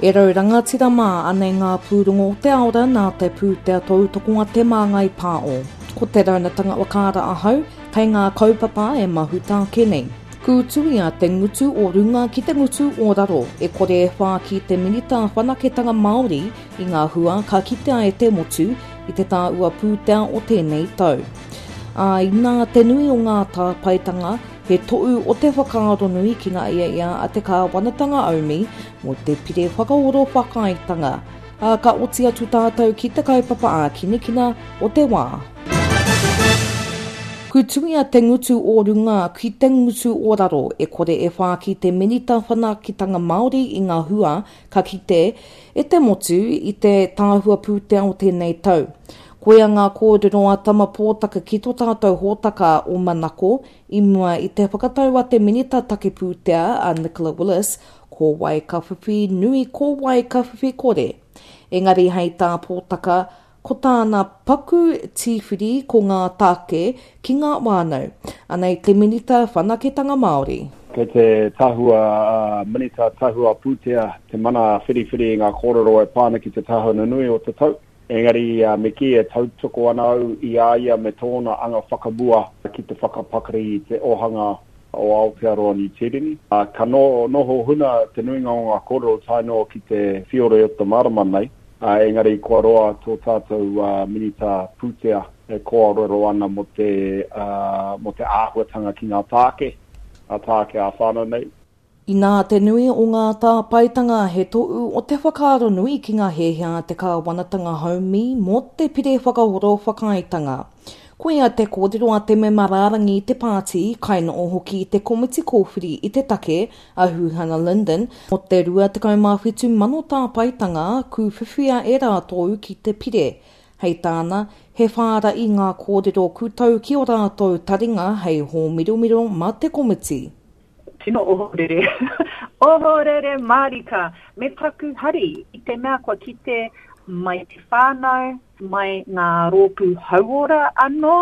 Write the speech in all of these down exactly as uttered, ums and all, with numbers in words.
E rau rangatira mā, anei ngā pūrongo o te aora nā te pūtea tautoko a Te Māngai Pāo. Ko te raunatanga whakaara ahau, kei ngā kaupapa e mahuta ake nei. Kūtuia te ngutu o runga ki te ngutu o raro, e kore e whāki te Minita Whanaketanga Māori i ngā hua ka kitea e te motu i te tāua pūtea o tēnei tau. Ā, inā te nui o ngā tāpaetanga, he tohu o te whakaaro nui ki ngā iaia a te kāwanatanga aumi mō te pire whakaoro whakaaetanga. Ā, ka oti atu tātou ki te kaupapa ākinakina o te wā. Kūtuia te ngutu o runga ki te ngutu o raro, e kore e whāki te Minita Whanaketanga Māori i ngā hua ka kite e te motu i te tāhua pūtea o tēnei tau. Koia ngā kōrero a Tama Pōtaka ki tō tātou hōtaka o Manako i mua i te whakatau a te Minita Take Pūtea a Nicola Willis ko wai ka whiwhi nui ko wai ka whiwhi kore. Engari hei tā Pōtaka, ko tāna paku tīwhiri ko ngā tāke ki ngā whānau. Anei te Minita Whanaketanga Māori. Kei te tahua Minita Tahua Pūtea te mana whiriwhiri i ngā kōrero e pā ana ki te tahua nunui o te tau. Engari me kī e tautoko ana au i a ia me tōna anga whakamua ki te whakapakari i te ōhanga o Aotearoa Niu Tīreni. Ka noho huna te nuinga o ngā kōrero tae noa ki te whiore o te marama nei. Engari kua roa tō tātou Minita Pūtea e kōrero ana mō te, mō te āhuatanga ki ngā tāke, ngā tāke ā-whānau nei. Inā te nui o ngā tāpaetanga he tohu o te whakaaro nui ki ngā hiahia a te kāwanatanga haumi mō te pire whakahoro whakaaetanga. Koia te kōrero a te mema rārangi i te pāti, kainoho hoki i te komiti kōwhiri i te take, a Huhana Lyndon, mō te rua tekau mā whitu mano tāpaetanga kūwhiwhia e rātou ki te pire. Hei tāna, he whāra'i ngā kōrero kūtau ki o rātou taringa hei hōmiromiro mā te komiti. Tino ohorere. Ohorere mārika. Me taku hari i te mea kua kite mai te whānau, mai ngā rōpū hauora anō,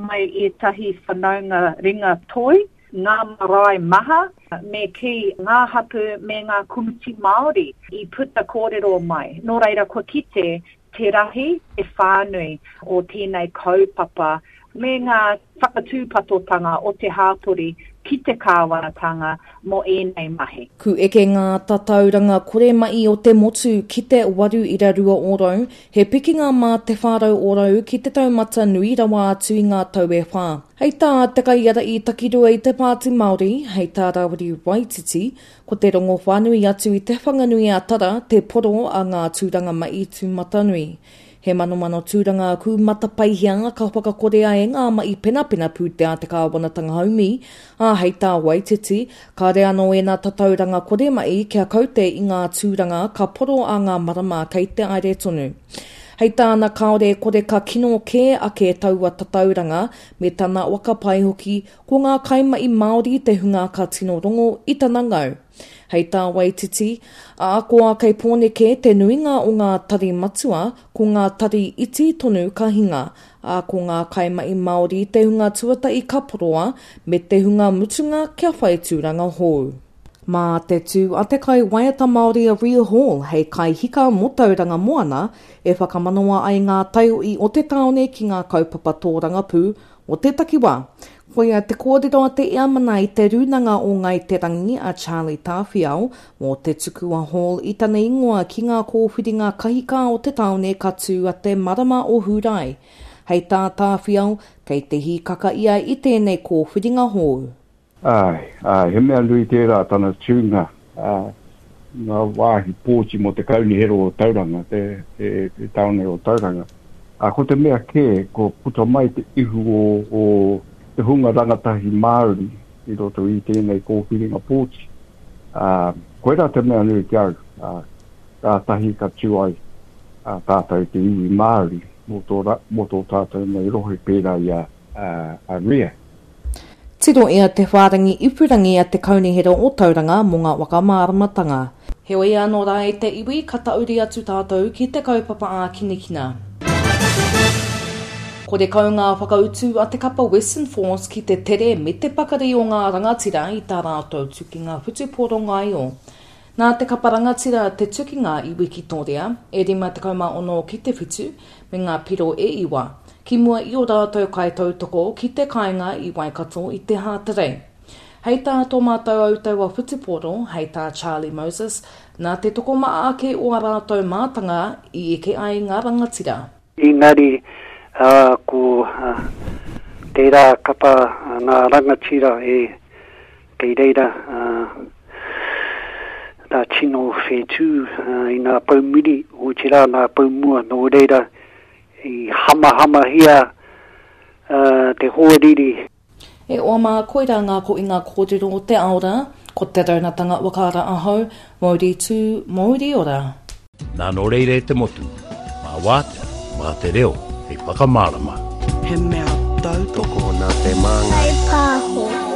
mai ētahi whanaunga ringa toi, ngā marae maha, me kī ngā hapū me ngā komiti Māori i puta kōrero mai. Nō reira kua kite te rahi, te whānui o tēnei kaupapa me ngā whakatūpatotanga o te hāpori ki te kāwanatanga mō ēnei mahi. Ku eke ngā tatauranga kore mahi o te motu ki te waru ira rua ōrau, he pikinga mā te whārau ōrau ki te taumata nui rawa atu i ngā tau e whā. Hei tā te kaiara i takirua i te Pāti Māori, hei tā Rāwiri Waititi, ko te rongo whānui atu i te Whanganui a Tara te poro a ngā tūranga mahi tūmatanui. He manomano tūranga kū matapaihia ka whakakorea e ngā mahi penapena pūtea te kāwanatanga haumi, ā hei tā Waititi, kāre anō ēnā tatauranga kore mahi kia kaute i ngā tūranga ka poro a ngā marama kei te aere tonu. Hei tāna kāore e kore ka kino kē ake taua tatauranga me tana wakapai hoki ko ngā kaimahi Māori te hunga ka tino rongo i tana ngau. Hei tā Waititi, a koa kei Pōneke te nuinga o ngā tari matua, ko ngā tari iti tonu ka hinga, a ko ngā kaimahi Māori te hunga tuatahi ka poroa, me te hunga mutunga kia whai tūranga hou. Mā te tū a te kai waiata Māori a Ria Hall hei kaihika mō Tauranga Moana e whakamanawa ai ngā taiohi o te tāone ki ngā kaupapa tōrangapū o te takiwā. Koia te kōrero a te Eamana i te rūnanga o Ngai Te Rangi a Charlie Tāwhiao mō te tuku a Hall i tana ingoa ki ngā kōwhiringa kahika o te tāone ka tū a te marama o Hūrae. Hei tā Tāwhiao, kei te hīkaka ia i tēnei kōwhiringa hou. Ai, ai, he mea nui tērā tana tūnga, uh, ngā wāhi pōti mō te kaunihera o Tauranga, te, te, te tāone o Tauranga. Uh, ko te mea kē, ko puta mai te ihu o, o te hunga rangatahi Māori i roto i tēnei kōwhiringa pōti. Uh, koirā te mea nui ki au, uh, kātahi ka tū ai uh, tātou te iwi Māori mō tō, ra, mō tō tātou nei rohe pērā i a, uh, a Ria. Tiro ia te whārangi ipurangi a te kaunihera o Tauranga mō ngā whakamāramatanga. Heoi anō rā e te iwi, ka tauri atu tātou ki te kaupapa ākinakina. Korekau ngā whakautu a te kapa Western Force ki te tere me te pakari o ngā rangatira i tā rātou tukinga whutupōro ngaio. Nā te kapa rangatira te tukinga i Wikitoria, e rima tekau mā ono ki te whitu, me ngā piro e iwa, ki mua i ō rātou kaitautoko ki te kāinga i Waikato i te Hāterei. Hei tā tō mātou autaua whutupōro, hei tā Charlie Moses, nā te tokomaha ake o ā rātou mātanga i eke ai ngā rangatira. Engari, ko tērā kapa ngā rangatira e kei reira tā tino whetū i ngā pou muri, otirā ngā pou mua, nō reira i hamahamahia te hoariri. E oa mā, koirā ngā koinga kōrero o te ao rā, ko te raunatanga whakaara ahau, mauri tū, mauri ora. Nā nō reira e te motu, mā wātea, mā te reo, hei whakamārama. He mea tautoko nā te māngai. Kai pāho.